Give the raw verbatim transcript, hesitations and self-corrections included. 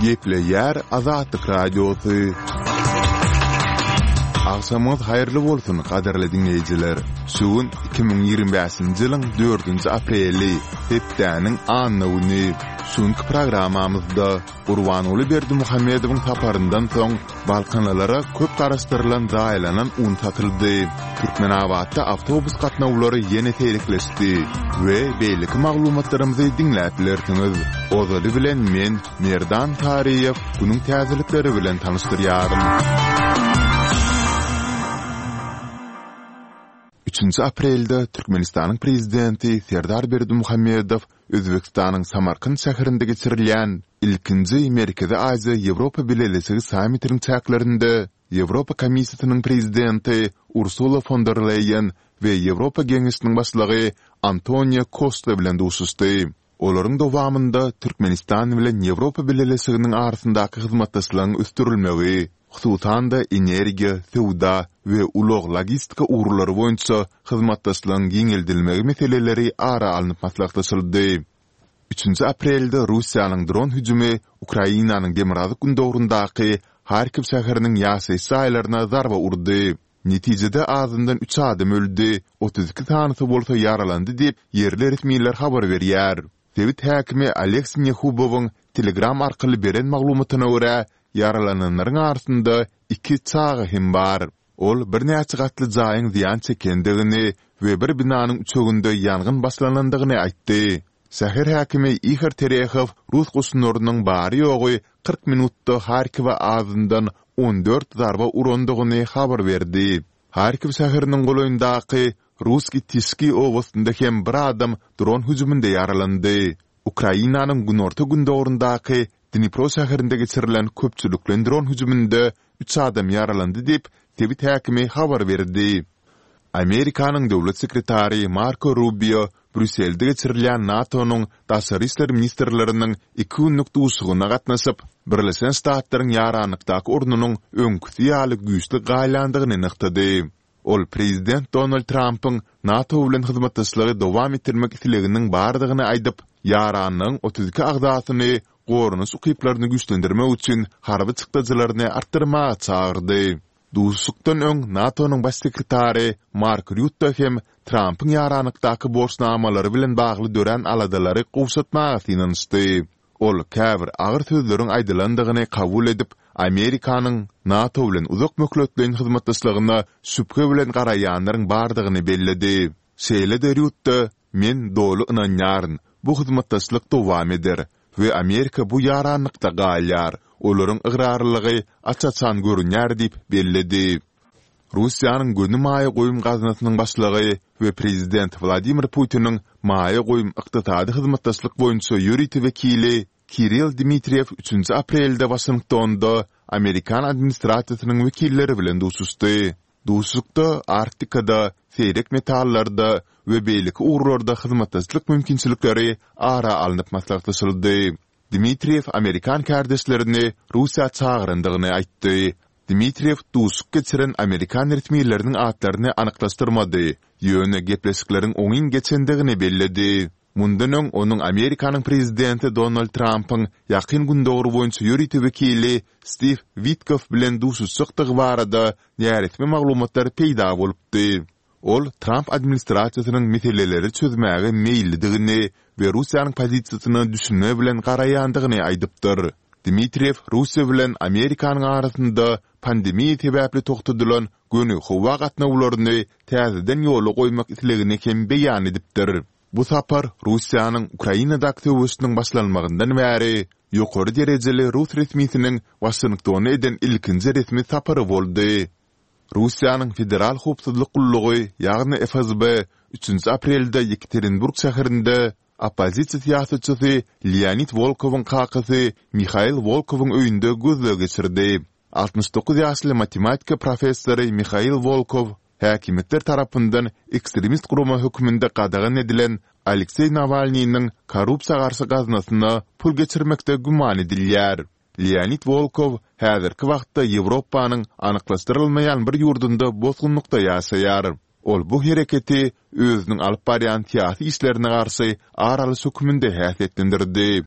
Gepleýär Azatlyk Radiosy. Agşamyňyz haýyrly bolsun, gadyrly diňleýjiler! Şu gün iki müň ýigrimi bäşinji ýylyň dördünji apreli, hepdäniň anna güni. Şu günki programmamyzda Gurbanguly Berdimuhamedowyň saparyndan soň balkanlylara köp garaşdyrylan zaýalanan un satyldy, Türkmenabatda awtobus gatnawlary ýene seýrekleşdi we beýleki maglumatlarymyzy diňläp bilersiňiz. Ozaly bilen men, Merdan Taryýew, günüň täzelikleri bilen tanyşdyrýaryn. Üçünji aprelde Türkmenistanyň Prezidenti Serdar Berdimuhamedow Özbegistanyň Samarkant şäherinde geçirilýän ilkinji Merkezi Aziýa-Ýewropa Bileleşigi sammitiniň çäklerinde Ýewropa Komissiýasynyň Prezidenti Ursula fon der Leýen we Ýewropa Geňeşiniň Başlygy Antonio Kosta bilen duşuşdy. Olaryň dowamynda Türkmenistan bilen Ýewropa Bileleşiginiň arasyndaky hyzmatdaşlygyň ösdürilmegi, hususan-da, energiýa, söwda we ulag-logistika ugurlary boýunça hyzmatdaşlygyň giňeldilmegi meseleleri ara alnyp maslahatlaşyldy. Üçünji aprelde Russiýanyň dron hüjümi Ukrainanyň demirgazyk-gündogaryndaky Harkiw şäheriniň ýaşaýyş jaýlaryna zarba urdy. Netijede azyndan üç adam öldi, otuz iki sanysy bolsa ýaralandy diýip, ýerli resmiler habar berýär. Sebit häkimi Oleg Sinehubowyň Telegram arkaly beren maglumatyna görä, ýaralananlaryň arasynda iki çaga hem bar. Ol birnäçe gatly jaýyň zyýan çekendigini we bir binanyň üçeginde ýangyn başlanandygyny aýtdy. Şäher häkimi Ihor Terehow rus goşunlarynyň bary-ýogy kyrk minutda Harkiwe azyndan on dört zarba urandygyny habar berdi. Harkiw şäheriniň golaýyndaky Ruskiý Tişki obasynda hem bir adam dron hüjüminde ýaralandy. Ukrainanyň günorta-gündogaryndaky Dnipro şäherinde geçirilen köpçülikleýin dron hüjüminde üç adam ýaralandy diýip, sebit häkimi habar berdi. Amerikanyň döwlet sekretary Marko Rubio Brýusselde geçirilýän NATO-nyň daşary işler ministrleriniň iki günlük duşuşygyna gatnaşyp, Birleşen Ştatlaryň ýaranlykdaky ornunyň öňküsi ýaly güýçli galýandygyny nygtady. Ol prezident Donald Trampyň NATO bilen hyzmatdaşlygy dowam etdirmek isleginiň bardygyny aýdyp, ýaranlygyň otuz iki agzasyny goranyş ukyplaryny güýçlendirmek üçin harby çykdajylaryny artdyrmaga çagyrdy. Duşuşykdan öň NATO-nyň baş sekretary Mark Rýutte hem Trampyň ýaranlykdaky borçnamalary bilen bagly dörän aladalary gowşatmaga synanyşdy. Ol käbir agyr sözleriň aýdylandygyny kabul edip, Amerikanyň NATO bilen uzak möhletleýin hyzmatdaşlygyna şübhe bilen garaýanlaryň bardygyny belledi. Şeýle-de Rýutte, Men doly ynanýaryn, bu hyzmatdaşlyk dowam eder we Amerika bu ýaranlykda galýar, olaryň ygrarlylygy aç-açan görünýär diýip belledi. Russiýanyň göni maýa goýum gaznasynyň başlygy we prezident Wladimir Putiniň maýa goýum ykdysady hyzmatdaşlyk boýunça ýörite wekili Kirill Dmitriýew üçünji aprelde Waşingtonda amerikan administrasiýasynyň wekilleri bilen duşuşdy. Duşuşykda Arktikada, seýrek metallarda we beýleki ugurlarda hyzmatdaşlyk mümkinçilikleri ara alnyp maslahatlaşyldy. Dmitriýew amerikan kärdeşlerini Russiýa çagyrandygyny aýtdy. Dmitriýew duşuşyk geçiren amerikan resmileriniň atlaryny anyklaşdyrmady, ýöne gepleşikleriň oňyn geçendigini belledi. Mundan öň onuň Amerikanyň prezidenti Donald Trampyň Ýakyn Gündogar boýunça ýörite wekili Stiw Witkoff bilen duşuşjakdygy barada näresmi maglumatlar peýda bolupdy. Ol Tramp administrasiýasynyň meseleleri çözmäge meýillidigini we Russiýanyň pozisiýasyna düşünme bilen garaýandygyny aýdypdyr. Dmitriýew Russiýa bilen Amerikanyň arasynda pandemiýa sebäpli togtadylan göni howa gatnawlaryny täzeden ýola goýmak islegini hem beýan edipdir. Bu sapar Russiýanyň Ukrainadaky söweşiniň başlanmagyndan bäri ýokary derejeli rus resmisiniň Waşingtona eden ilkinji resmi sapary boldy. Russiýanyň Federal howpsuzlyk gullugy, ýagny FSB üçünji aprelde Ýekaterinburg şäherinde oppozisiýa syýasatçysy Leonid Wolkowyň kakasy Mihail Wolkowyň öýünde gözleg geçirdi. Altmyş dokuz ýaşly matematika professory Mihail Wolkow häkimiýetler tarapyndan ekstremist gurama hökmünde gadagan edilen Alekseý Nawalnynyň korrupsiýa garşy gaznasyna pul geçirmekde güman edilýär. Leonid Wolkow häzirki wagtda Ýewropanyň anyklaşdyrylmaýan bir ýurdunda bosgunlykda ýaşaýar. Ol bu hereketi özüniň alyp barýan syýasy işlerine garşy ar alyş hökmünde häsiýetlendirdi.